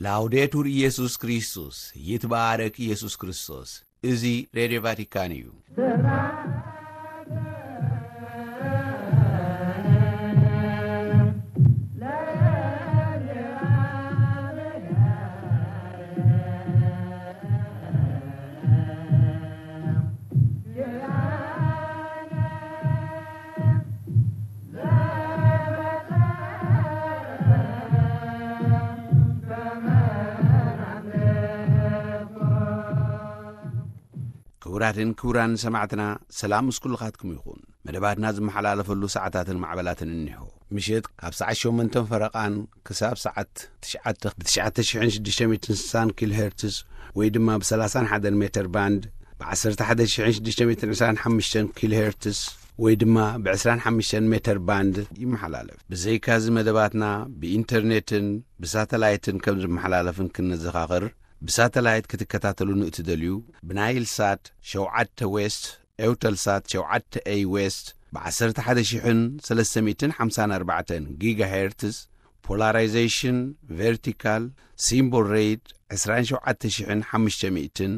ላውዴቱር ኢየሱስ ክርስቶስ፣ ይትባረክ ኢየሱስ ክርስቶስ። እዚ ሬድዮ ቫቲካን እዩ። ክቡራትን ክቡራን ሰማዕትና፣ ሰላም ምስ ኩልኻትኩም ይኹን። መደባትና ዝመሓላለፈሉ ሰዓታትን ማዕበላትን እኒሆ። ምሽት ካብ ሰዓት ሸሞንተን ፈረቓን ክሳብ ሰዓት ትሽዓተ ብ ትሽዓተ ሽሕን ሽዱሽተ ሚእትን ስሳን ኪሎ ሄርትዝ ወይ ድማ ብ ሰላሳን ሓደን ሜተር ባንድ፣ ብ ዓሰርተ ሓደ ሽሕን ሽዱሽተ ሚእትን ዕስራን ሓሙሽተን ኪሎ ሄርትዝ ወይ ድማ ብ ዕስራን ሓሙሽተን ሜተር ባንድ ይመሓላለፍ። ብዘይካዚ መደባትና ብኢንተርኔትን ብሳተላይትን ከም ዝመሓላለፍን ክንዘኻኽር፣ ብሳተላይት ክትከታተሉ ንእትደልዩ፣ ብናይል ሳት ሸውዓተ ዌስት፣ ኤውተል ሳት ሸውዓተ ኤይ ዌስት፣ ብ ዓሰርተ ሓደ ሽሕን ሰለስተ ሚእትን ሓምሳን ኣርባዕተን ጊጋ ሄርትዝ፣ ፖላራይዜሽን ቨርቲካል፣ ሲምቦል ሬት ዕስራን ሸውዓተ ሽሕን ሓሙሽተ ሚእትን፣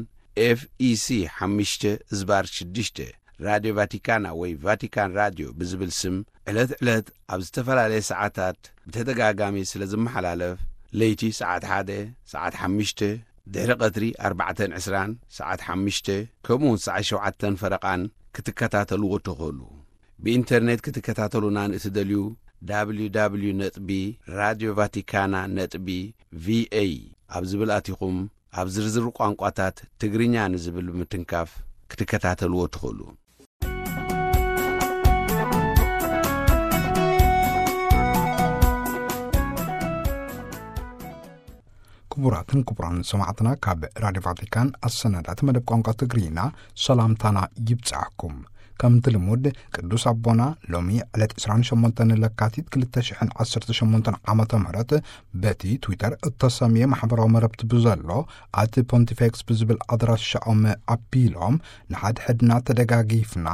ኤፍ ኢ ሲ ሓሙሽተ ዝባር ሽዱሽተ፣ ራድዮ ቫቲካና ወይ ቫቲካን ራድዮ ብዝብል ስም ዕለት ዕለት ኣብ ዝተፈላለየ ሰዓታት ብተደጋጋሚ ስለ ዝመሓላለፍ፣ ለይቲ ሰዓት ሓደ፣ ሰዓት ሓሙሽተ፣ ድሕሪ ቀትሪ ኣርባዕተን ዕስራን፣ ሰዓት ሓሙሽተ፣ ከምኡውን ሰዓት ሸውዓተን ፈረቓን ክትከታተልዎ ትኽእሉ። ብኢንተርኔት ክትከታተሉና ንእትደልዩ፣ www ነጥቢ ራድዮ ቫቲካና ነጥቢ ቪኤ ኣብ ዝብል ኣቲኹም፣ ኣብ ዝርዝር ቋንቋታት ትግርኛ ንዝብል ብምትንካፍ ክትከታተልዎ ትኽእሉ። ክቡራትን ክቡራን ሰማዕትና፣ ካብ ራድዮ ቫቲካን ኣሰናዳእቲ መደብ ቋንቋ ትግርኛ ሰላምታና ይብጻሕኩም። ከምቲ ልሙድ፣ ቅዱስ ኣቦና ሎሚ ዕለት ዕስራን ሸሞንተን ለካቲት ክልተ ሽሕን ዓሰርተ ሸሞንተን ዓመተ ምህረት በቲ ትዊተር እተሰምየ ማሕበራዊ መረብቲ ብዘሎ ኣት ፖንቲፌክስ ብዝብል ኣድራሻኦም ኣቢሎም፣ ንሓድሕድና ተደጋጊፍና፣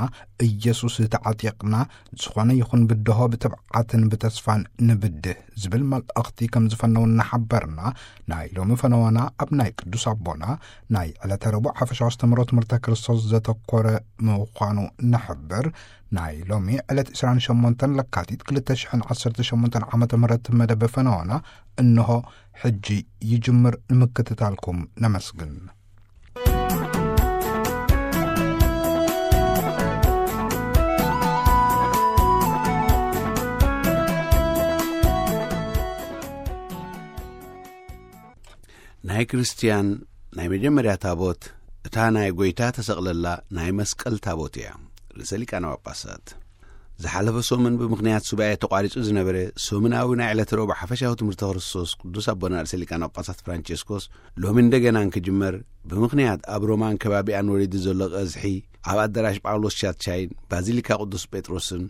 ኢየሱስ ተዓጢቕና፣ ዝኾነ ይኹን ብድሆ ብትብዓትን ብተስፋን ንብድህ ዝብል መልእኽቲ ከም ዝፈነው እናሓበርና፣ ናይ ሎሚ ፈነወና ኣብ ናይ ቅዱስ ኣቦና ናይ ዕለተ ረቡዕ ሓፈሻዊ ኣስተምህሮ ትምህርተ ክርስቶስ ዘተኮረ ምዃኑ ንሕብር። ናይ ሎሚ ዕለት ዕስራን ሸሞንተን ለካቲት ክልተ ሽሕን ዓሰርተ ሸሞንተን ዓመተ ምህረት መደብ ፈነወና እንሆ ሕጂ ይጅምር። ንምክትታልኩም ነመስግን። ናይ ክርስትያን ናይ መጀመርያ ታቦት፣ እታ ናይ ጐይታ ተሰቕለላ ናይ መስቀል ታቦት እያ። ርእሰ ሊቃነ ጳጳሳት። ዝሓለፈ ሰሙን ብምኽንያት ሱባኤ ተቋሪጹ ዝነበረ ሰሙናዊ ናይ ዕለተ ረቡዕ ሓፈሻዊ ትምህርተ ክርስቶስ ቅዱስ ኣቦና ርእሰ ሊቃነ ጳጳሳት ፍራንቸስኮስ ሎሚ እንደገና እንክጅመር፣ ብምኽንያት ኣብ ሮማን ከባቢኣን ወሪዱ ዘሎ ቀዝሒ ኣብ ኣዳራሽ ጳውሎስ ሻትሻይን ባዚሊካ ቅዱስ ጴጥሮስን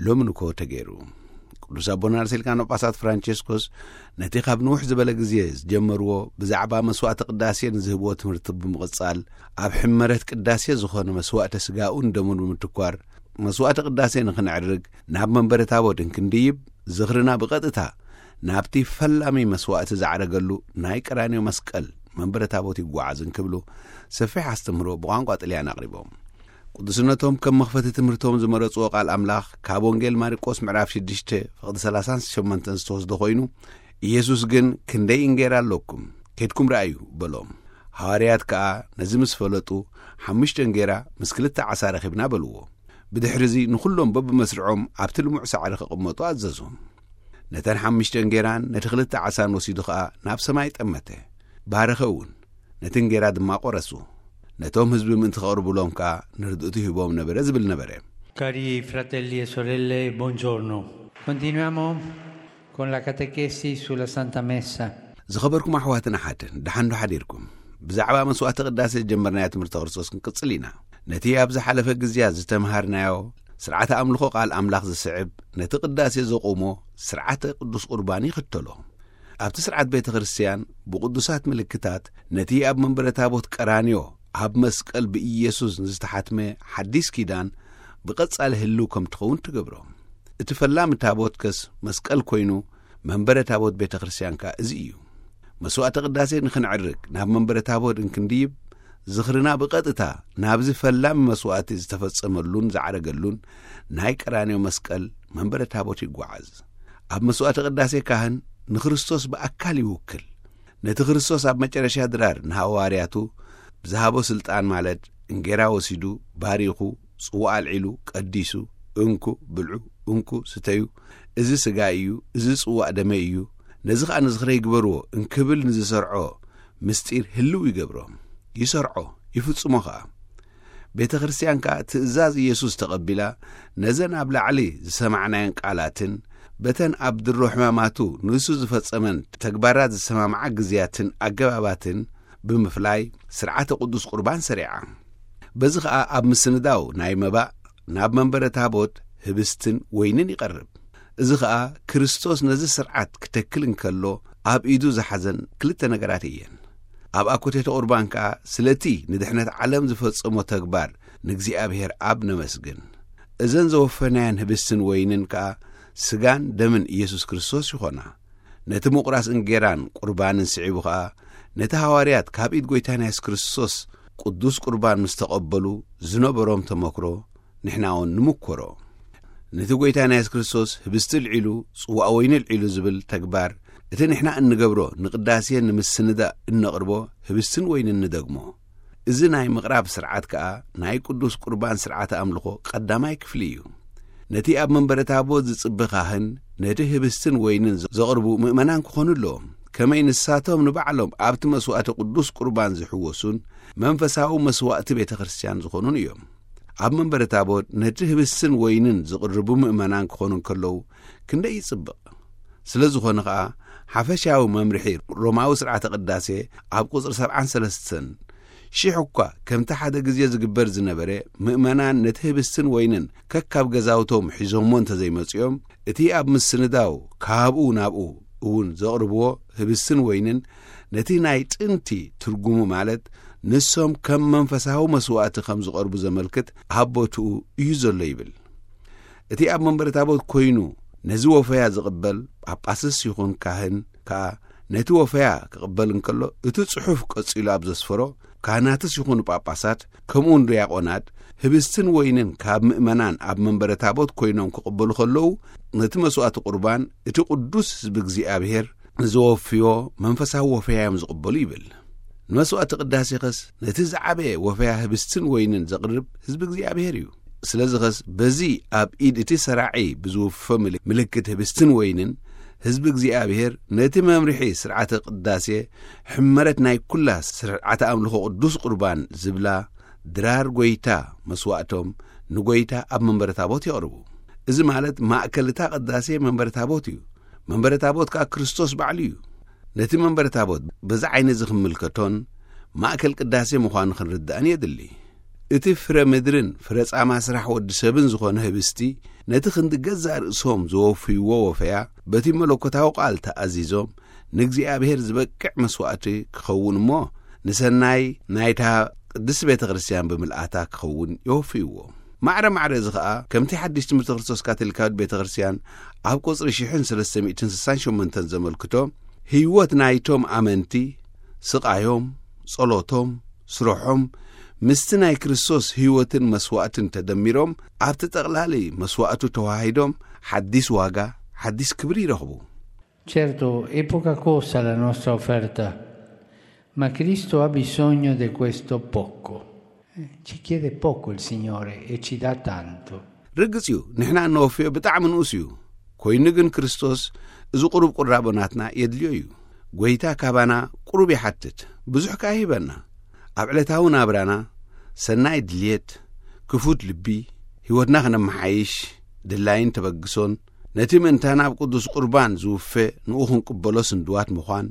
ሎሚ ንኮ ተገይሩ። ቅዱስ ኣቦና ርእሰ ሊቃነ ጳጳሳት ፍራንቸስኮስ ነቲ ካብ ንውሕ ዝበለ ግዜ ዝጀመርዎ ብዛዕባ መስዋዕተ ቅዳሴ ንዝህብዎ ትምህርቲ ብምቕጻል፣ ኣብ ሕመረት ቅዳሴ ዝኾነ መስዋዕተ ስጋኡን ደሙን ብምትኳር፣ መስዋዕተ ቅዳሴ ንኽነዕርግ ናብ መንበረ ታቦት እንክንድይብ፣ ዝኽርና ብቐጥታ ናብቲ ፈላሚ መስዋዕቲ ዝዓረገሉ ናይ ቀራንዮ መስቀል መንበረ ታቦት ይጓዓዝ እንክብሉ ሰፊሕ ኣስተምህሮ ብቋንቋ ጥልያን ኣቕሪቦም። ቅዱስነቶም ከም መኽፈቲ ትምህርቶም ዝመረጽዎ ቃል ኣምላኽ ካብ ወንጌል ማርቆስ ምዕራፍ ሽዱሽተ ፍቕዲ ሰላሳን ሸሞንተን ዝተወስደ ኮይኑ፣ ኢየሱስ ግን "ክንደይ እንጌራ ኣለኩም? ኬድኩም ረኣዩ" በሎም። ሃዋርያት ከኣ ነዚ ምስ ፈለጡ፣ "ሓሙሽተ እንጌራ ምስ ክልተ ዓሳ ረኺብና" በልዎ። ብድሕርዚ ንኹሎም በብመስርዖም ኣብቲ ልሙዕ ሳዕሪ ክቕመጡ ኣዘዞም። ነተን ሓሙሽተ እንጌራን ነቲ ክልተ ዓሳን ወሲዱ ኸኣ ናብ ሰማይ ጠመተ። ባረኸ እውን። ነቲ እንጌራ ድማ ቈረሱ። ነቶም ህዝቢ ምእንቲ ከቕርብሎም ከኣ ንርድእቱ ሂቦም ነበረ ዝብል ነበረ። Cari fratelli e sorelle, buongiorno. Continuiamo con la catechesi sulla Santa Messa. ዝኸበርኩም ኣሕዋትን ኣሓትን፣ ደሓን ዶ ሓዲርኩም? ብዛዕባ መስዋዕቲ ቅዳሴ ዝጀመርናዮ ትምህርቲ ክርስቶስ ክንቅጽል ኢና። ነቲ ኣብ ዝሓለፈ ግዜያት ዝተምሃርናዮ ስርዓተ ኣምልኾ ቃል ኣምላኽ ዝስዕብ፣ ነቲ ቅዳሴ ዘቑሞ ስርዓተ ቅዱስ ቁርባን ይኽተሎ። ኣብቲ ስርዓት ቤተ ክርስቲያን ብቅዱሳት ምልክታት ነቲ ኣብ መንበረ ታቦት ቀራንዮ ኣብ መስቀል ብኢየሱስ ንዝተሓትመ ሓዲስ ኪዳን ብቐጻሊ ህልው ከም ትኸውን ትገብሮ። እቲ ፈላሚ ታቦት ከስ መስቀል ኮይኑ፣ መንበረ ታቦት ቤተ ክርስቲያን ከኣ እዚ እዩ። መስዋዕተ ቅዳሴ ንኽንዕርግ ናብ መንበረ ታቦት እንክንድይብ፣ ዝኽርና ብቐጥታ ናብዚ ፈላሚ መስዋዕቲ ዝተፈጸመሉን ዝዓረገሉን ናይ ቀራንዮ መስቀል መንበረ ታቦት ይጓዓዝ። ኣብ መስዋዕተ ቅዳሴ ካህን ንክርስቶስ ብኣካል ይውክል። ነቲ ክርስቶስ ኣብ መጨረሻ ድራር ንሃዋርያቱ ብዝሃቦ ስልጣን፣ ማለት እንጌራ ወሲዱ ባሪኹ፣ ጽዋእ ኣልዒሉ ቀዲሱ፣ "እንኩ ብልዑ፣ እንኩ ስተዩ፣ እዚ ስጋይ እዩ፣ እዚ ጽዋእ ደመይ እዩ፣ ነዚ ኸኣ ንዝኽረይ ግበርዎ" እንክብል ንዝሰርዖ ምስጢር ህልው ይገብሮ፣ ይሰርዖ፣ ይፍጽሞ ኸኣ። ቤተ ክርስቲያን ከኣ ትእዛዝ ኢየሱስ ተቐቢላ፣ ነዘን ኣብ ላዕሊ ዝሰማዕናየን ቃላትን በተን ኣብ ድሮ ሕማማቱ ንሱ ዝፈጸመን ተግባራት ዝሰማምዓ ግዜያትን ኣገባባትን ብምፍላይ ስርዓተ ቅዱስ ቁርባን ሰሪዓ። በዚ ኸኣ ኣብ ምስንዳው ናይ መባእ ናብ መንበረ ታቦት ህብስትን ወይንን ይቐርብ። እዚ ኸኣ ክርስቶስ ነዚ ስርዓት ክተክል እንከሎ ኣብ ኢዱ ዝሓዘን ክልተ ነገራት እየን። ኣብ ኣኮቴተ ቁርባን ከኣ ስለቲ ንድሕነት ዓለም ዝፈጸሞ ተግባር ንእግዚኣብሔር ኣብ ነመስግን። እዘን ዘወፈናየን ህብስትን ወይንን ከኣ ስጋን ደምን ኢየሱስ ክርስቶስ ይኾና። ነቲ ምቑራስ እንጌራን ቁርባንን ስዒቡ ኸኣ ነቲ ሃዋርያት ካብ ኢድ ጐይታና የሱስ ክርስቶስ ቅዱስ ቁርባን ምስ ተቐበሉ ዝነበሮም ተመክሮ ንሕና እውን ንምኮሮ። ነቲ ጐይታና የሱስ ክርስቶስ ህብስቲ ልዒሉ ጽዋእ ወይኒ ልዒሉ ዝብል ተግባር እቲ ንሕና እንገብሮ ንቅዳሴ ንምስንዳእ እነቕርቦ ህብስትን ወይንን ንደግሞ። እዚ ናይ ምቕራብ ስርዓት ከኣ ናይ ቅዱስ ቁርባን ስርዓተ ኣምልኾ ቀዳማይ ክፍሊ እዩ። ነቲ ኣብ መንበረ ታቦት ዝጽበ ካህን ነቲ ህብስትን ወይንን ዘቕርቡ ምእመናን ክኾኑ ኣለዎም። ከመይ ንሳቶም ንባዕሎም ኣብቲ መስዋዕቲ ቅዱስ ቁርባን ዝሕወሱን መንፈሳዊ መስዋዕቲ ቤተ ክርስቲያን ዝኾኑን እዮም። ኣብ መንበረ ታቦት ነቲ ህብስትን ወይንን ዝቕርቡ ምእመናን ክኾኑ እንከለዉ ክንደይ ይጽብቕ። ስለ ዝኾነ ኸኣ ሓፈሻዊ መምርሒ ሮማዊ ስርዓተ ቅዳሴ ኣብ ቁጽሪ ሰብዓን ሰለስተን፣ ሽሕ እኳ ከምቲ ሓደ ግዜ ዝግበር ዝነበረ ምእመናን ነቲ ህብስትን ወይንን ከካብ ገዛውቶም ሒዞሞ እንተዘይመጽኦም፣ እቲ ኣብ ምስንዳው ካብኡ ናብኡ እውን ዘቕርብዎ ህብስትን ወይንን ነቲ ናይ ጥንቲ ትርጉሙ፣ ማለት ንሶም ከም መንፈሳዊ መስዋዕቲ ከም ዝቐርቡ ዘመልክት ኣብ ቦትኡ እዩ ዘሎ ይብል። እቲ ኣብ መንበረ ታቦት ኮይኑ ነዚ ወፈያ ዝቕበል ጳጳስስ ይኹን ካህን ከኣ ነቲ ወፈያ ክቕበል እንከሎ፣ እቲ ጽሑፍ ቀጺሉ ኣብ ዘስፈሮ፣ ካህናትስ ይኹኑ ጳጳሳት ከምኡውን ዲያቆናት ህብስትን ወይንን ካብ ምእመናን ኣብ መንበረ ታቦት ኮይኖም ክቕበሉ ከለዉ፣ ነቲ መስዋዕቲ ቁርባን እቲ ቅዱስ ህዝቢ እግዚኣብሔር ንዘወፍዮ መንፈሳዊ ወፈያ እዮም ዝቕበሉ ይብል። ንመስዋዕቲ ቅዳሴኸስ ነቲ ዝዓበየ ወፈያ ህብስትን ወይንን ዘቕርብ ህዝቢ እግዚኣብሔር እዩ። ስለዚኸስ በዚ ኣብ ኢድ እቲ ሰራዒ ብዝውፈ ምል-፣ ምልክት ህብስትን ወይንን ህዝቢ እግዚኣብሔር ነቲ መምርሒ ስርዓተ ቅዳሴ ሕመረት ናይ ኩላ ስርዓተ ኣምልኾ ቅዱስ ቁርባን ዝብላ ድራር ጐይታ መስዋዕቶም ንጐይታ ኣብ መንበረ ታቦት የቕርቡ። እዚ ማለት ማእከል እታ ቅዳሴ መንበረ ታቦት እዩ። መንበረ ታቦት ከኣ ክርስቶስ ባዕሉ እዩ። ነቲ መንበረ ታቦት በዚ ዓይኒ እዚ ክንምልከቶን ማእከል ቅዳሴ ምዃኑ ክንርዳእን የድሊ። እቲ ፍረ ምድርን ፍረ ጻማ ስራሕ ወዲ ሰብን ዝኾነ ህብስቲ ነቲ ክንዲ ገዛእ ርእሶም ዘወፍይዎ ወፈያ በቲ መለኮታዊ ቃል ተኣዚዞም ንእግዚኣብሔር ዝበቅዕ መስዋዕቲ ክኸውን እሞ ንሰናይ ናይታ ቅድስቲ ቤተ ክርስቲያን ብምልኣታ ክኸውን የወፍይዎ። ማዕረ ማዕረ እዚ ኸኣ ከምቲ ሓድሽ ትምህርቲ ክርስቶስ ካቶሊካዊት ቤተ ክርስቲያን ኣብ ቁጽሪ ሽሕን ሰለስተ ሚእትን ስሳን ሸሞንተን ዘመልክቶ፣ ህይወት ናይቶም ኣመንቲ፣ ስቓዮም፣ ጸሎቶም፣ ስርሖም፣ ምስቲ ናይ ክርስቶስ ህይወትን መስዋዕትን ተደሚሮም ኣብቲ ጠቕላሊ መስዋዕቱ ተዋሂዶም ሓዲስ ዋጋ፣ ሓዲስ ክብሪ ይረኽቡ። Certo, è poca cosa la nostra offerta, ma Cristo ha bisogno di questo poco. Eh, ci chiede poco il Signore e ci dà tanto. ርግጽ እዩ፣ ንሕና እነወፍዮ ብጣዕሚ ንኡስ እዩ። ኮይኑ ግን ክርስቶስ እዚ ቁሩብ ቁራቦ ናትና የድልዮ እዩ። ጐይታ ካባና ቁሩብ ይሓትት፣ ብዙሕ ከኣ ይህበና። ኣብ ዕለታዊ ናብራና ሰናይ ድልየት፣ ክፉት ልቢ፣ ህይወትና ክነመሓይሽ ድላይን ተበግሶን፣ ነቲ ምእንታና ኣብ ቅዱስ ቁርባን ዝውፈ ንኡ ክንቅበሎ ስንድዋት ምዃን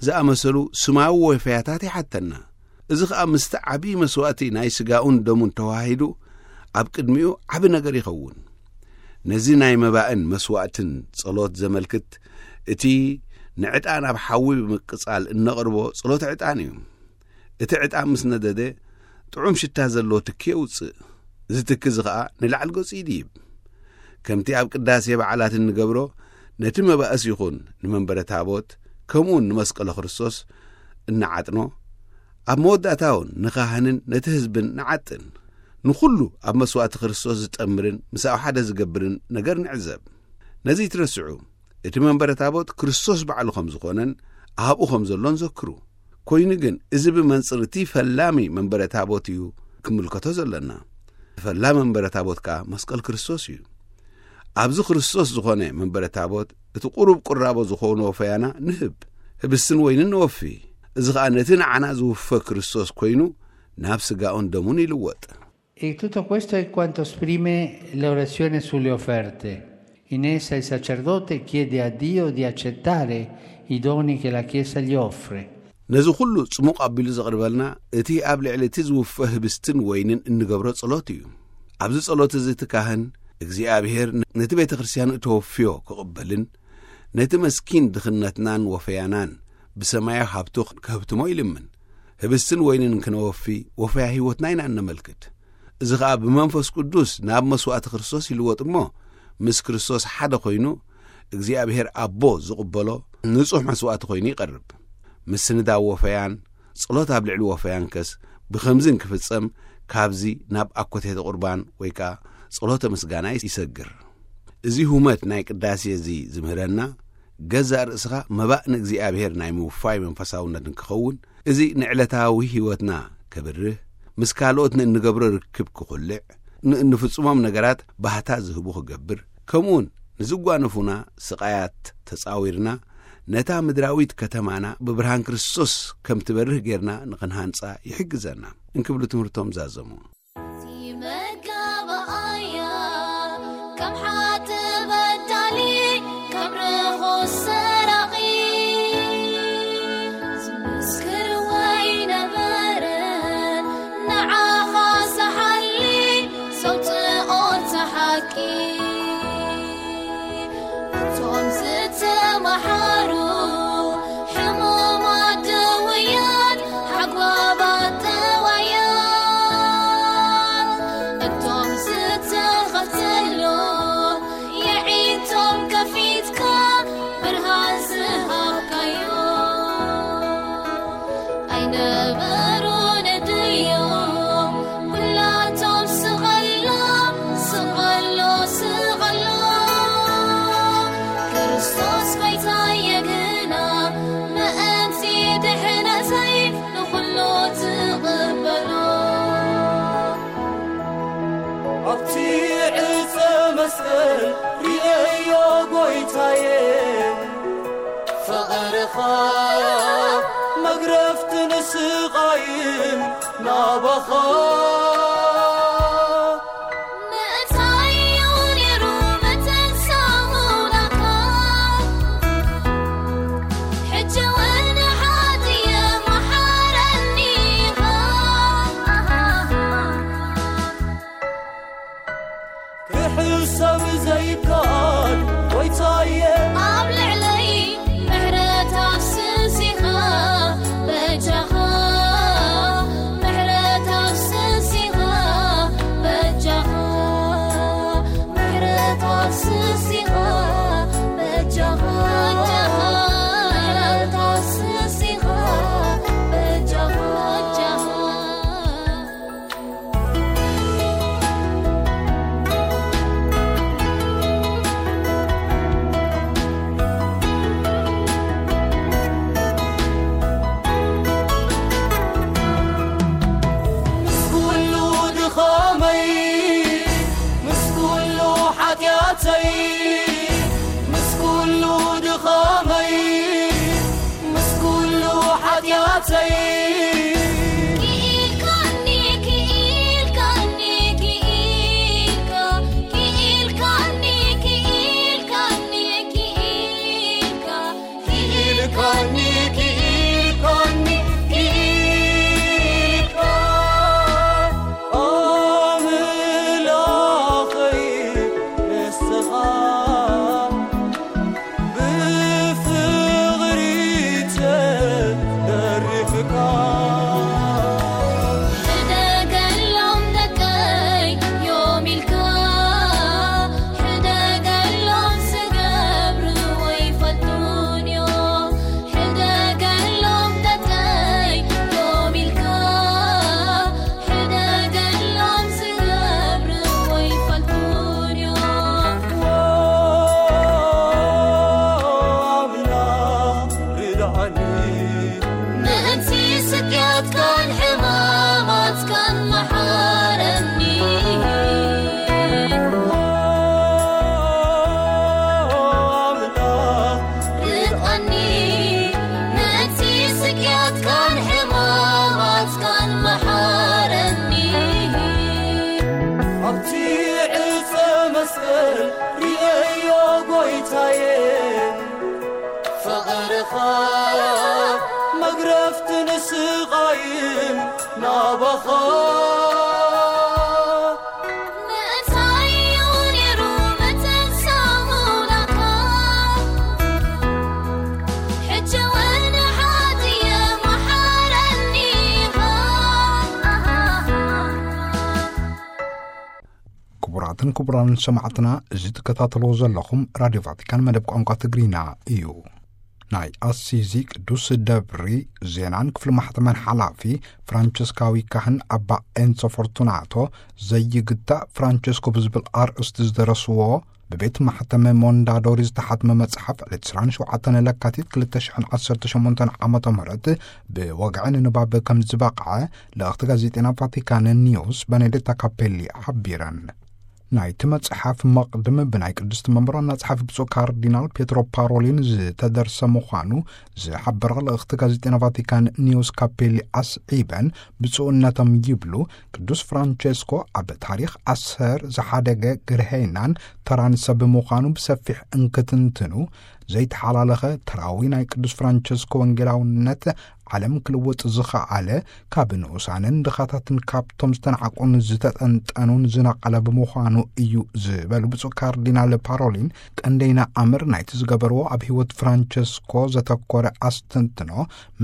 ዝኣመሰሉ ስማዊ ወፈያታት ይሓተና። እዚ ኸኣ ምስቲ ዓብዪ መስዋእቲ ናይ ስጋኡን ደሙን ተዋሂዱ ኣብ ቅድሚኡ ዓቢ ነገር ይኸውን። ነዚ ናይ መባእን መስዋእትን ጸሎት ዘመልክት እቲ ንዕጣን ኣብ ሓዊ ብምቅጻል እነቕርቦ ጸሎተ ዕጣን እዩ። እቲ ዕጣን ምስ ነደደ ጥዑም ሽታ ዘለዎ ትኪ የውጽእ። እዚ ትኪ እዚ ኸኣ ንላዕሊ ገጹ ይድይብ። ከምቲ ኣብ ቅዳሴ በዓላት እንገብሮ ነቲ መባእስ ይኹን ንመንበረ ታቦት ከምኡውን ንመስቀለ ክርስቶስ እንዓጥኖ፣ ኣብ መወዳእታ እውን ንኻህንን ነቲ ህዝብን ንዓጥን። ንኹሉ ኣብ መስዋእቲ ክርስቶስ ዝጠምርን ምሳኡ ሓደ ዝገብርን ነገር ንዕዘብ። ነዚ ይትረስዑ፣ እቲ መንበረ ታቦት ክርስቶስ ባዕሉ ከም ዝኾነን ኣብኡ ከም ዘሎን ዘክሩ። ኮይኑ ግን፣ እዚ ብመንጽር እቲ ፈላሚ መንበረ ታቦት እዩ ክምልከቶ ዘለና። ፈላሚ መንበረ ታቦት ከኣ መስቀል ክርስቶስ እዩ። ኣብዚ ክርስቶስ ዝኾነ መንበረ ታቦት፣ እቲ ቁሩብ ቁራቦ ዝኾኑ ወፈያና ንህብ፣ ህብስትን ወይንን ንወፊ። እዚ ኸኣ ነቲ ንዓና ዝውፈ ክርስቶስ ኮይኑ፣ ናብ ስጋኡን ደሙን ይልወጥ። E tutto questo è quanto esprime l'orazione sulle offerte. In essa il sacerdote chiede a Dio di accettare i doni che la Chiesa gli offre. ነዚ ኩሉ ጽሙቕ ኣቢሉ ዘቕርበልና፣ እቲ ኣብ ልዕሊ እቲ ዝውፈ ህብስትን ወይንን እንገብሮ ጸሎት እዩ። ኣብዚ ጸሎት እዚ እቲ ካህን፣ እግዚኣብሔር ነቲ ቤተ ክርስቲያን እተወፍዮ ክቕበልን፣ ነቲ መስኪን ድኽነትናን ወፈያናን ብሰማያዊ ሃብቱ ከህብትሞ ይልምን። ህብስትን ወይንን ክነወፊ፣ ወፈያ ህይወትና ኢና እነመልክት። እዚ ኸኣ ብመንፈስ ቅዱስ ናብ መስዋእቲ ክርስቶስ ይልወጥ እሞ፣ ምስ ክርስቶስ ሓደ ኮይኑ፣ እግዚኣብሔር ኣቦ ዝቕበሎ ንጹሕ መስዋእቲ ኮይኑ ይቐርብ። ምስንዳው ወፈያን ጸሎት ኣብ ልዕሊ ወፈያን ከስ ብኸምዚ እንክፍጸም፣ ካብዚ ናብ ኣኮቴተ ቁርባን ወይ ከኣ ጸሎተ ምስጋና ይሰግር። እዚ ሁመት ናይ ቅዳሴ እዚ ዝምህረና፣ ገዛእ ርእስኻ መባእ ንእግዚኣብሔር ናይ ምውፋይ መንፈሳውነት እንክኸውን፣ እዚ ንዕለታዊ ህይወትና ከብርህ፣ ምስ ካልኦት ንእንገብሮ ርክብ ክኹልዕ፣ ንእንፍጽሞም ነገራት ባህታ ዝህቡ ክገብር፣ ከምኡውን ንዝጓነፉና ስቓያት ተጻዊርና፣ ነታ ምድራዊት ከተማና ብብርሃን ክርስቶስ ከም ትበርህ ጌርና ንኽንሃንጻ ይሕግዘና እንክብሉ ትምህርቶም ዛዘሙ። መጋባኣያ ከም ሓቲ በዳሊ ከም ርኹስ ሰራቒ ዝምስክር ወይ ነበረ ንዓኻ ዝሓሊ ዘውፅኦ እቲ ሓቂ። እቶም ዝተማሓሩ ሕሙማት ድውያት ሓጓባት ጠዋያት እቶም ዝተኸፍተሉ የዒንቶም ከፊትካ ብርሃን ዝሃብካዮ ኣይነበሩን ድዮም? ኩላቶም ስቐሎ ስቐሎ ስቐሎ ክርስቶስ ጎይታየ ግና ምእንቲ ድሕነተይ ንኹሉ ትቕበሎ። ኣብቲ ዕፀ መስቀል ርእዮ ጎይታየ ፍቕርኻ መግረፍትን ስቓይን ናባኻ ምእንታዩ ነይሩ መተንሳሙናካ ሕጂ እውን ንሓጥየ መሓረኒ ኢኻ። ክሕሰብ ዘይከኣል ጎይታየ ኣብ ልዕለይ ምሕረት ኣፍስሲኻ በጃኻ ምሕረት ኣፍስሲ ምእንቲ ስቅያትካን ሕማማትካን መሓረኒ። ኣምላኽ ርድኣኒ። ምእንቲ ስቅያትካን ሕማማትካን መሓረኒ። ኣብቲ ዕፀ መስቀል ርእዮ ጎይታየ፣ ፍቕርኻ መግረፍትን ስቓይን ናባኻ። ምእንታይ እዩ ነይሩ ምትንሳእ ሙላካ? ሕጂ እውን ሓጥየ መሓረኒ ኢኻ። ክቡራትን ክቡራን ሰማዕትና፣ እዚ ትከታተልዎ ዘለኹም ራድዮ ቫቲካን መደብ ቋንቋ ትግርኛ እዩ። ናይ ኣሲዚ ቅዱስ ደብሪ ዜናን ክፍሊ ማሕተመን ሓላፊ ፍራንቸስካዊ ካህን ኣባ ኤንሶ ፎርቱናቶ፣ ዘይግታእ ፍራንቸስኮ ብዝብል ኣርእስቲ ዝደረስዎ፣ ብቤት ማሕተመ ሞንዳዶሪ ዝተሓትመ መጽሓፍ ዕለት ዕስራን ሸውዓተን ለካቲት ክልተ ሽሕን ዓሰርተ ሸሞንተን ዓመተ ምህረት ብወግዒ ንንባብ ከም ዝበቕዐ ልእኽቲ ጋዜጤና ቫቲካን ኒውስ በኔዴታ ካፔሊ ሓቢረን። ናይቲ መጽሓፍ መቕድም ብናይ ቅድስቲ መንበር ዋና ጸሓፊ ብፁዕ ካርዲናል ፔትሮ ፓሮሊን ዝተደርሰ ምዃኑ ዝሓበረ ልእኽቲ ጋዜጤና ቫቲካን ኒውስ ካፔሊ ኣስዒበን፣ ብፁዕነቶም ይብሉ፣ ቅዱስ ፍራንቸስኮ ኣብ ታሪኽ ኣሰር ዝሓደገ ግርሄናን ተራን ሰብ ምዃኑ ብሰፊሕ እንክትንትኑ፣ ዘይተሓላለኸ ተራዊ ናይ ቅዱስ ፍራንቸስኮ ወንጌላውነት ዓለም ክልውጥ ዝኸኣለ፣ ካብ ንኡሳንን ድኻታትን ካብቶም ዝተናዕቁን ዝተጠንጠኑን ዝነቐለ ብምዃኑ እዩ ዝበሉ ብፁዕ ካርዲናል ፓሮሊን፣ ቀንደይና ኣምር ናይቲ ዝገበርዎ ኣብ ህይወት ፍራንቸስኮ ዘተኮረ ኣስተንትኖ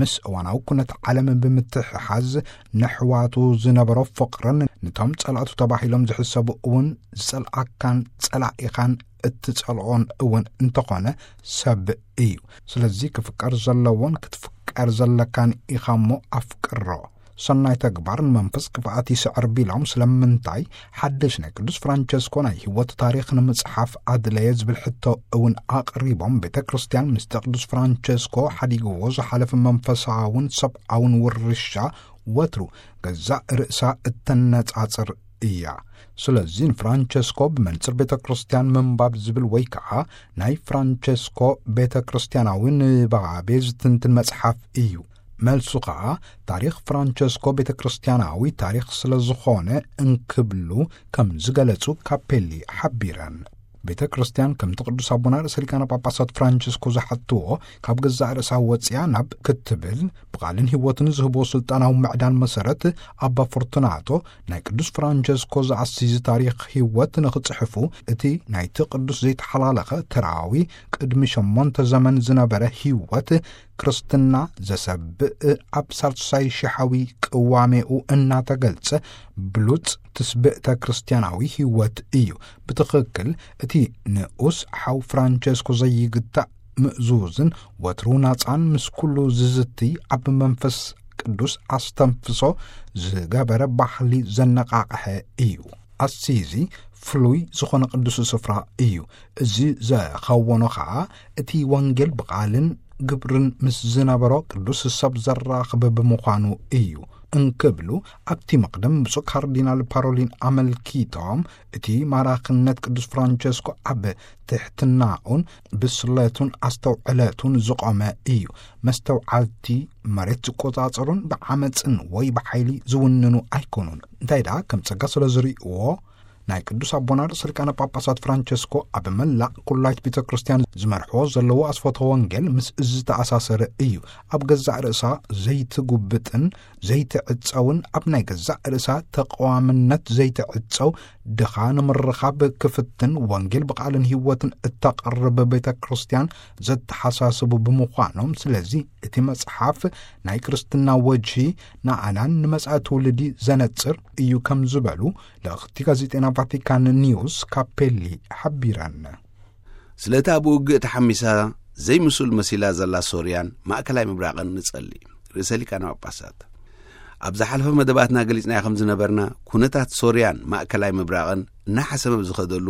ምስ እዋናዊ ኩነት ዓለም ብምትሕሓዝ፣ ንሕዋቱ ዝነበሮ ፍቕርን ንቶም ጸላእቱ ተባሂሎም ዝሕሰቡ እውን ዝጸልኣካን ጸላኢኻን እትጸልኦን እውን እንተኾነ ሰብ እዩ። ስለዚ ክፍቀር ዘለዎን ክትፍቀር ዘለካን ኢኻ እሞ ኣፍቅሮ። ሰናይ ተግባር ንመንፈስ ክፍኣት ይስዕር ቢሎም፣ ስለምንታይ ሓድሽ ናይ ቅዱስ ፍራንቸስኮ ናይ ህይወት ታሪኽ ንምጽሓፍ ኣድለየ ዝብል ሕቶ እውን ኣቕሪቦም፣ ቤተ ክርስቲያን ምስቲ ቅዱስ ፍራንቸስኮ ሓዲግዎ ዝሓለፈ መንፈሳውን ሰብኣውን ውርሻ ወትሩ ገዛእ ርእሳ እተነጻጽር እያ። ስለዚ ንፍራንቸስኮ ብመንጽር ቤተ ክርስቲያን ምንባብ ዝብል ወይ ከዓ ናይ ፍራንቸስኮ ቤተ ክርስቲያናዊ ንባቤ ዝትንትን መጽሓፍ እዩ። መልሱ ከዓ ታሪኽ ፍራንቸስኮ ቤተ ክርስቲያናዊ ታሪኽ ስለ ዝኾነ እንክብሉ ከም ዝገለጹ ካፔሊ ሓቢረን። ቤተ ክርስቲያን ከምቲ ቅዱስ ኣቦና ርእሰ ሊቃነ ጳጳሳት ፍራንቸስኮ ዝሓትዎ ካብ ገዛእ ርእሳ ወፂኣ ናብ ክትብል ብቓልን ህይወትን ዝህቦ ስልጣናዊ ምዕዳን መሰረት ኣባ ፎርቱናቶ ናይ ቅዱስ ፍራንቸስኮ ዘኣሲዚ ታሪኽ ህይወት ንኽጽሕፉ እቲ ናይቲ ቅዱስ ዘይተሓላለኸ ተራዊ ቅድሚ ሸሞንተ ዘመን ዝነበረ ህይወት ክርስትና ዘሰብእ ኣብ ሳልሳይ ሽሓዊ ቅዋሜኡ እናተገልጸ ብሉጽ ትስብእተ ክርስቲያናዊ ህይወት እዩ። ብትኽክል እቲ ንኡስ ሓው ፍራንቸስኮ ዘይግታእ ምእዙዝን ወትሩ ናጻን ምስ ኩሉ ዝዝትይ ኣብ መንፈስ ቅዱስ ኣስተንፍሶ ዝገበረ ባህሊ ዘነቓቕሐ እዩ። ኣሲዚ ፍሉይ ዝኾነ ቅዱስ ስፍራ እዩ። እዚ ዘኸወኖ ኸኣ እቲ ወንጌል ብቓልን ግብርን ምስ ዝነበሮ ቅዱስ ሰብ ዘራኽብ ብምዃኑ እዩ እንክብሉ ኣብቲ መቕደም ብፁዕ ካርዲናል ፓሮሊን ኣመልኪቶም፣ እቲ ማራኽነት ቅዱስ ፍራንቸስኮ ኣብ ትሕትናኡን ብስለቱን ኣስተውዕለቱን ዝቖመ እዩ። መስተውዓልቲ መሬት ዝቆጻጸሩን ብዓመጽን ወይ ብሓይሊ ዝውንኑ ኣይኮኑን። እንታይ ደኣ ከም ጸጋ ስለ ዝርእይዎ ናይ ቅዱስ ኣቦና ርእሰ ሊቃነ ጳጳሳት ፍራንቸስኮ ኣብ መላእ ኩላይት ቤተ ክርስቲያን ዝመርሕዎ ዘለዉ ኣስፈቶ ወንጌል ምስ እዚ ዝተኣሳሰረ እዩ። ኣብ ገዛእ ርእሳ ዘይትጉብጥን ዘይትዕጸውን ኣብ ናይ ገዛእ ርእሳ ተቐዋምነት ዘይትዕጸው ድኻ ንምርኻብ ክፍትን ወንጌል ብቓልን ህይወትን እተቕርብ ቤተ ክርስቲያን ዘተሓሳስቡ ብምዃኖም፣ ስለዚ እቲ መጽሓፍ ናይ ክርስትና ወጅሂ ንኣናን ንመጻኢ ትውልዲ ዘነጽር እዩ ከም ዝበሉ ልእኽቲ ጋዜጤና ቫቲካን ኒውስ ካፔሊ ሓቢረን። ስለታ ብውግእ ተሓሚሳ ዘይምሱል መሲላ ዘላ ሶርያን ማእከላይ ምብራቕን ንጸሊ። ርእሰ ሊቃነ ጳጳሳት ኣብ ዝሓለፈ መደባትና ገሊጽናዮ ከም ዝነበርና፣ ኩነታት ሶርያን ማእከላይ ምብራቕን እናሓሰበ ብዝኸደሉ፣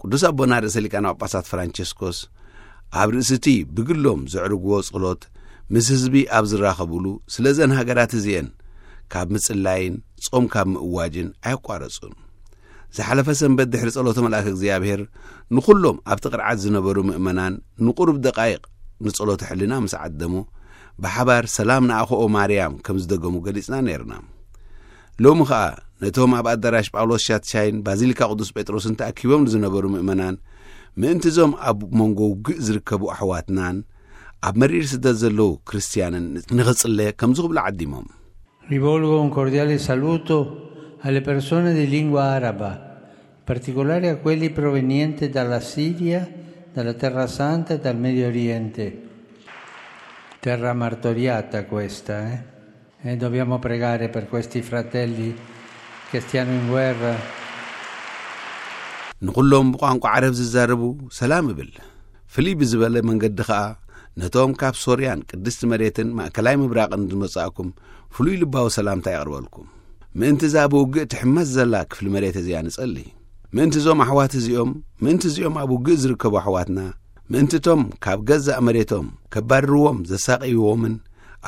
ቅዱስ ኣቦና ርእሰ ሊቃነ ጳጳሳት ፍራንቸስኮስ ኣብ ርእሲ እቲ ብግሎም ዘዕርግዎ ጸሎት፣ ምስ ህዝቢ ኣብ ዝራኸቡሉ፣ ስለዘን ሃገራት እዚኤን ካብ ምጽላይን ጾም ካብ ምእዋጅን ኣየቋረጹን። ዝሓለፈ ሰንበት ድሕሪ ጸሎተ መልኣከ እግዚኣብሔር ንኹሎም ኣብቲ ቅርዓት ዝነበሩ ምእመናን ንቁሩብ ደቃይቕ ንጸሎተ ሕልና ምስ ዓደሙ፣ ብሓባር ሰላም ንኣኸኦ ማርያም ከም ዝደገሙ ገሊጽና ነይርና። ሎሚ ኸኣ ነቶም ኣብ ኣዳራሽ ጳውሎስ ሻትሻይን ባዚሊካ ቅዱስ ጴጥሮስን ተኣኪቦም ዝነበሩ ምእመናን፣ ምእንቲ እዞም ኣብ መንጎ ውግእ ዝርከቡ ኣሕዋትናን ኣብ መሪር ስደት ዘለዉ ክርስትያንን ንኽጽለ ከምዚ ክብሉ ዓዲሞም። Rivolgo un cordiale saluto alle persone di lingua araba, in particolare a quelli provenienti dalla Siria, dalla Terra Santa e dal Medio Oriente. Terra martoriata questa, eh? E dobbiamo pregare per questi fratelli che stiano in guerra. ንኹሎም ብቋንቋ ዓረብ ዝዛረቡ ሰላም እብል። ፍልይ ብዝበለ መንገዲ ኸኣ ነቶም ካብ ሶርያን ቅድስቲ መሬትን ማእከላይ ምብራቕን ዝመጻእኩም ፍሉይ ልባዊ ሰላምታ የቕርበልኩም። ምእንቲ እዛ ብውግእ ትሕመስ ዘላ ክፍሊ መሬት እዚኣ ንጸሊ። ምእንቲ እዞም ኣሕዋት እዚኦም፣ ምእንቲ እዚኦም ኣብ ውግእ ዝርከቡ ኣሕዋትና፣ ምእንቲ እቶም ካብ ገዛእ መሬቶም ከባርርዎም ዘሳቀይዎምን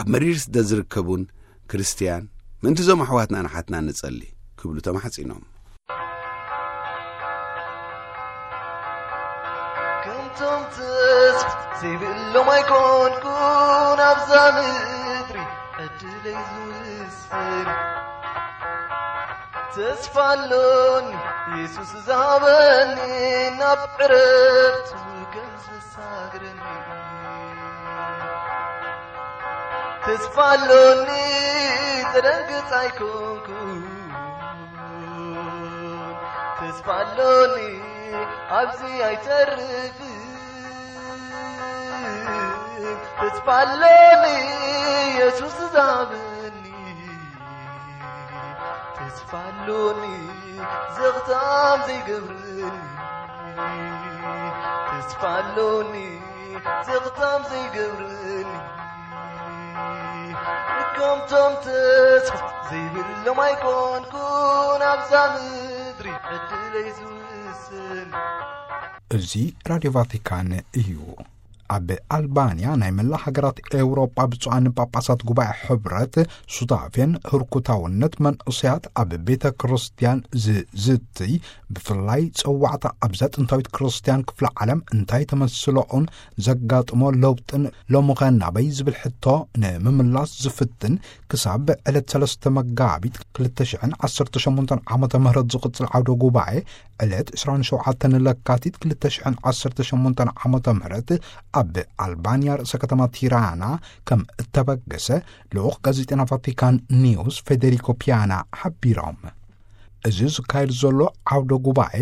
ኣብ መሪር ስደት ዝርከቡን ክርስትያን፣ ምእንቲ እዞም ኣሕዋትናን ኣሓትናን ንጸሊ ክብሉ ተማሕጺኖም። ከምቶም ተስፋ ዘይብሎም ኣይኮንኩን ኣብዛ ምድሪ ዕድለይ ዝውስን። ተስፋ ኣሎኒ የሱስ ዝሃበኒ ናብ ዕረፍቱ ከም ዘሳግረኒ። ተስፋ ኣሎኒ ተደንግጽ ኣይኮንኩን። ተስፋ ኣሎኒ ኣብዚ ኣይተርፍን። ተስፋ ኣሎኒ የሱስ ዝሃበኒ። ተስፋ ኣሎኒ ዘኽታም ዘይገብረኒ። ተስፋ ኣሎኒ ዘኽታም ዘይገብረኒ። ከምቶም ተስፋ ዘይብሎም ኣይኮንኩን ኣብዛ ምድሪ ዕድለይ ዝውስን። እዚ ራድዮ ቫቲካን እዩ። ኣብ ኣልባንያ ናይ መላ ሃገራት ኤውሮጳ ብፁዓን ጳጳሳት ጉባኤ ሕብረት ሱታፌን ህርኩታውነት መንእሰያት ኣብ ቤተ ክርስቲያን ዝዝትይ፣ ብፍላይ ጸዋዕታ ኣብዛ ጥንታዊት ክርስቲያን ክፍለ ዓለም እንታይ ተመስለኦን ዘጋጥሞ ለውጥን ሎምኸ ናበይ ዝብል ሕቶ ንምምላስ ዝፍትን ክሳብ ዕለት ሰለስተ መጋቢት ክልተ ሽሕን ዓሰርተ ሸሞንተን ዓመተ ምህረት ዝቕጽል ዓውደ ጉባኤ ዕለት ዕስራን ሸውዓተን ለካቲት ክልተ ሽሕን ዓሰርተ ሸሞንተን ዓመተ ምህረት ኣብ ኣልባንያ ርእሰ ከተማ ቲራና ከም እተበገሰ ልኡኽ ጋዜጠና ቫቲካን ኒውስ ፌዴሪኮ ፒያና ሓቢሮም። እዚ ዝካየድ ዘሎ ዓውደ ጉባኤ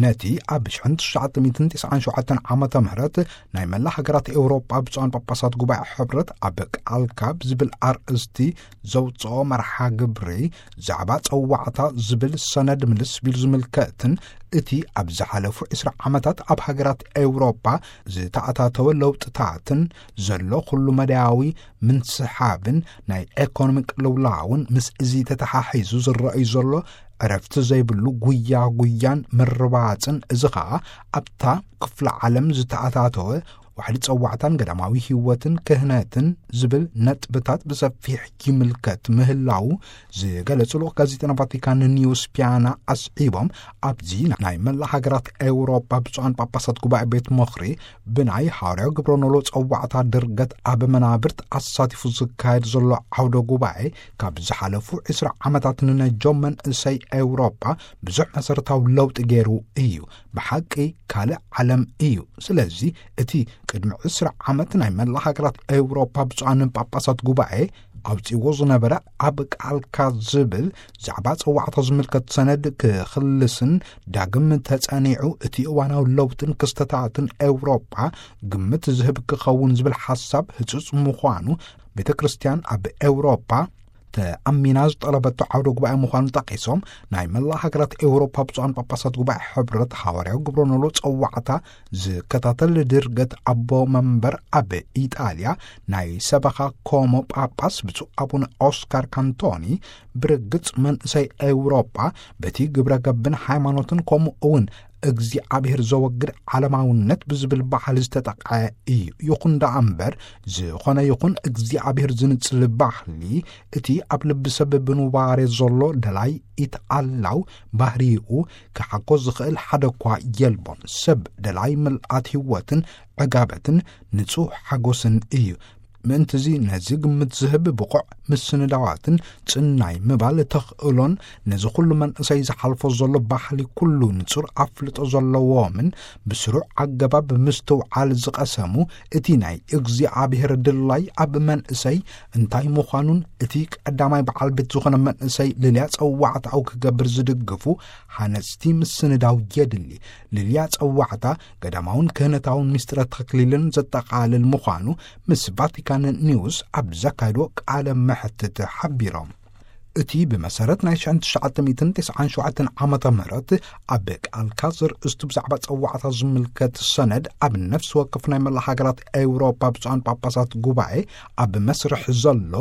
ነቲ ኣብ ሽሕን ትሽዓተ ሚእትን ትስዓን ሸውዓተን ዓመተ ምህረት ናይ መላ ሃገራት ኤውሮጳ ብፁዓን ጳጳሳት ጉባኤ ሕብረት ኣብ ቃልካ ብዝብል ኣርእስቲ ዘውፅኦ መርሓ ግብሪ ዛዕባ ጸዋዕታ ዝብል ሰነድ ምልስ ቢሉ ዝምልከትን እቲ ኣብ ዝሓለፉ ዕስራ ዓመታት ኣብ ሃገራት ኤውሮጳ ዝተኣታተወ ለውጥታትን ዘሎ ኩሉ መዳያዊ ምንስሓብን ናይ ኤኮኖሚ ቅልውላውን ምስ እዚ ተተሓሒዙ ዝረኣዩ ዘሎ ዕረፍቲ ዘይብሉ ጉያ ጉያን ምርባጽን፣ እዚ ኸኣ ኣብታ ክፍለ ዓለም ዝተኣታተወ ዋሕዲ ጸዋዕታን ገዳማዊ ህይወትን ክህነትን ዝብል ነጥብታት ብሰፊሕ ይምልከት ምህላው ዝገለጹ ልኡኽ ጋዜጠና ቫቲካን ኒውስ ፒያና ኣስዒቦም፣ ኣብዚ ናይ መላ ሃገራት ኤውሮጳ ብፁዓን ጳጳሳት ጉባኤ ቤት ምኽሪ ብናይ ሃዋርያዊ ግብረ ኖሎ ጸዋዕታ ድርገት ኣብ መናብርት ኣሳቲፉ ዝካየድ ዘሎ ዓውደ ጉባኤ ካብ ዝሓለፉ ዕስራ ዓመታት ንነጆም መንእሰይ ኤውሮጳ ብዙሕ መሰረታዊ ለውጢ ገይሩ እዩ። ብሓቂ ካልእ ዓለም እዩ። ስለዚ እቲ ቅድሚ ዕስራ ዓመት ናይ መላ ሃገራት ኤውሮጳ ብፁዓንን ጳጳሳት ጉባኤ ኣውጺዎ ዝነበረ ኣብ ቃልካ ዝብል ዛዕባ ጸዋዕታ ዝምልከት ሰነድ ክኽልስን ዳግም ተጸኒዑ እቲ እዋናዊ ለውጥን ክስተታትን ኤውሮጳ ግምት ዝህብ ክኸውን ዝብል ሓሳብ ህጹጽ ምዃኑ ቤተ ክርስቲያን ኣብ ኤውሮጳ ተኣሚና ዝጠለበቶ ዓውደ ጉባኤ ምዃኑ ጠቒሶም፣ ናይ መላ ሃገራት ኤውሮፓ ብፁዓን ጳጳሳት ጉባኤ ሕብረት ሃዋርያዊ ግብረ ኖሎ ጸዋዕታ ዝከታተል ድርገት ኣቦ መንበር ኣብ ኢጣልያ ናይ ሰበኻ ኮሞ ጳጳስ ብፁዕ ኣቡነ ኦስካር ካንቶኒ፣ ብርግጽ መንእሰይ ኤውሮጳ በቲ ግብረ ገብን ሃይማኖትን ከምኡ እውን እግዚኣብሔር ዘወግድ ዓለማውነት ብዝብል ባህሊ ዝተጠቕዐ እዩ። ይኹን ደኣ እምበር፣ ዝኾነ ይኹን እግዚኣብሔር ዝንጽል ባህሊ፣ እቲ ኣብ ልቢ ሰብ ብኑባሬ ዘሎ ደላይ ኢትኣላው ባህሪኡ ክሓኮ ዝኽእል ሓደ እኳ የልቦን። ሰብ ደላይ ምልኣት ህይወትን ዕጋበትን ንጹህ ሓጎስን እዩ። ምእንትዚ ነዚ ግምት ዝህብ ብቑዕ ምስንዳዋትን ጽናይ ምባል ተኽእሎን ነዚ ኩሉ መንእሰይ ዝሓልፎ ዘሎ ባህሊ ኩሉ ንጹር ኣፍልጦ ዘለዎምን ብስሩዕ ኣገባብ ምስትውዓል ዝቐሰሙ እቲ ናይ እግዚኣብሔር ድላይ ኣብ መንእሰይ እንታይ ምዃኑን እቲ ቀዳማይ በዓል ቤት ዝኾነ መንእሰይ ልልያ ጸዋዕታኡ ክገብር ዝድግፉ ሃነጽቲ ምስንዳው የድሊ። ልልያ ጸዋዕታ ገዳማውን ክህነታውን ምስጢረ ተክሊልን ዘጠቓልል ምዃኑ ምስ ቫቲካን ኒውስ ኣብ ዘካየድዎ ቃለ መሕትት ሓቢሮም። እቲ ብመሰረት ናይ ሽሕን ትሽዓተ ሚእትን ተስዓን ሸውዓተን ዓመተ ምህረት ኣብ ቃል ካዝር እስቱ ብዛዕባ ጸዋዕታ ዝምልከት ሰነድ ኣብ ነፍሲ ወከፍ ናይ መላ ሃገራት ኤውሮጳ ብፁዓን ጳጳሳት ጉባኤ ኣብ መስርሕ ዘሎ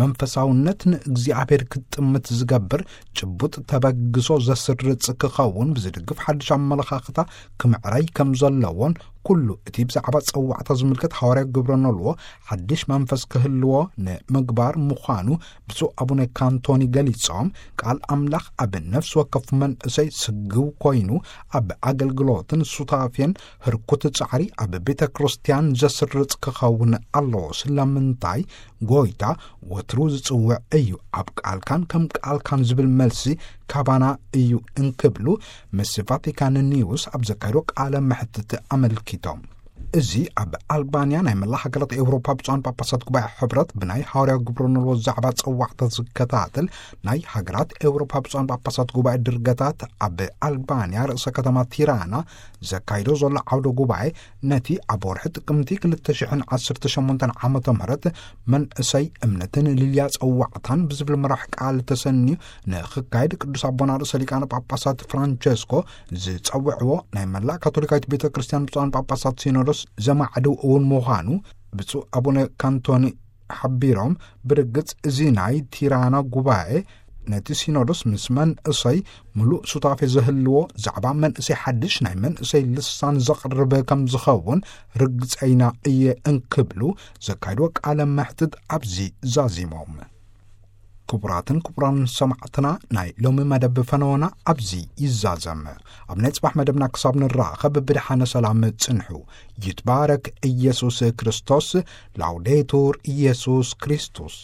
መንፈሳውነት ንእግዚኣብሔር ክትጥምት ዝገብር ጭቡጥ ተበግሶ ዘስርጽ ክኸውን ብዝድግፍ ሓድሽ ኣመለኻኽታ ክምዕራይ ከም ዘለዎን ኩሉ እቲ ብዛዕባ ጸዋዕታ ዝምልከት ሃዋርያ ግብረ ነልዎ ሓድሽ መንፈስ ክህልዎ ንምግባር ምዃኑ ብፁዕ ኣቡነ ካንቶኒ ገሊጾም፣ ቃል ኣምላኽ ኣብ ነፍሲ ወከፍ መንእሰይ ስግው ኮይኑ ኣብ ኣገልግሎትን ሱታፌን ህርኩት ጻዕሪ ኣብ ቤተ ክርስቲያን ዘስርጽ ክኸውን ኣለዎ። ስለምንታይ ጎይታ ወትሩ ዝጽውዕ እዩ። ኣብ ቃልካን ከም ቃልካን ዝብል መልሲ ካባና እዩ እንክብሉ ምስ ቫቲካን ኒውስ ኣብ ዘካየዶ ቃለ መሕትት ኣመልኪቶም። እዚ ኣብ ኣልባንያ ናይ መላ ሃገራት ኤውሮፓ ብፁዓን ጳጳሳት ጉባኤ ሕብረት ብናይ ሃዋርያ ግብረ ነልዎ ዛዕባ ጸዋዕታ ዝከታተል ናይ ሃገራት ኤውሮፓ ብፁዓን ጳጳሳት ጉባኤ ድርገታት ኣብ ኣልባንያ ርእሰ ከተማ ቲራና ዘካይዶ ዘሎ ዓውደ ጉባኤ ነቲ ኣብ ወርሒ ጥቅምቲ ክልተ ሽሕን ዓሰርተ ሸሞንተን ዓመተ ምህረት መንእሰይ እምነትን ልልያ ጸዋዕታን ብዝብል መራሕ ቃል ተሰንዩ ንኽካየድ ቅዱስ ኣቦና ርእሰ ሊቃነ ጳጳሳት ፍራንቸስኮ ዝጸውዕዎ ናይ መላእ ካቶሊካዊት ቤተ ክርስቲያን ብፁዓን ጳጳሳት ሲኖዶስ ዘማዕድው እውን ምዃኑ ብፁዕ ኣቡነ ካንቶኒ ሓቢሮም፣ ብርግጽ እዚ ናይ ቲራና ጉባኤ ነቲ ሲኖዶስ ምስ መንእሰይ ምሉእ ሱታፌ ዘህልዎ ዛዕባ መንእሰይ ሓድሽ ናይ መንእሰይ ልሳን ዘቕርብ ከም ዝኸውን ርግጸይና እየ እንክብሉ ዘካይድዎ ቃለ መሕትት ኣብዚ ዛዚሞም። ክቡራትን ክቡራን ሰማዕትና፣ ናይ ሎሚ መደብ ፈነወና ኣብዚ ይዛዘም። ኣብ ናይ ጽባሕ መደብና ክሳብ ንራኸብ ብድሓነ ሰላም ጽንሑ። ይትባረክ ኢየሱስ ክርስቶስ። ላውዴቱር ኢየሱስ ክርስቶስ።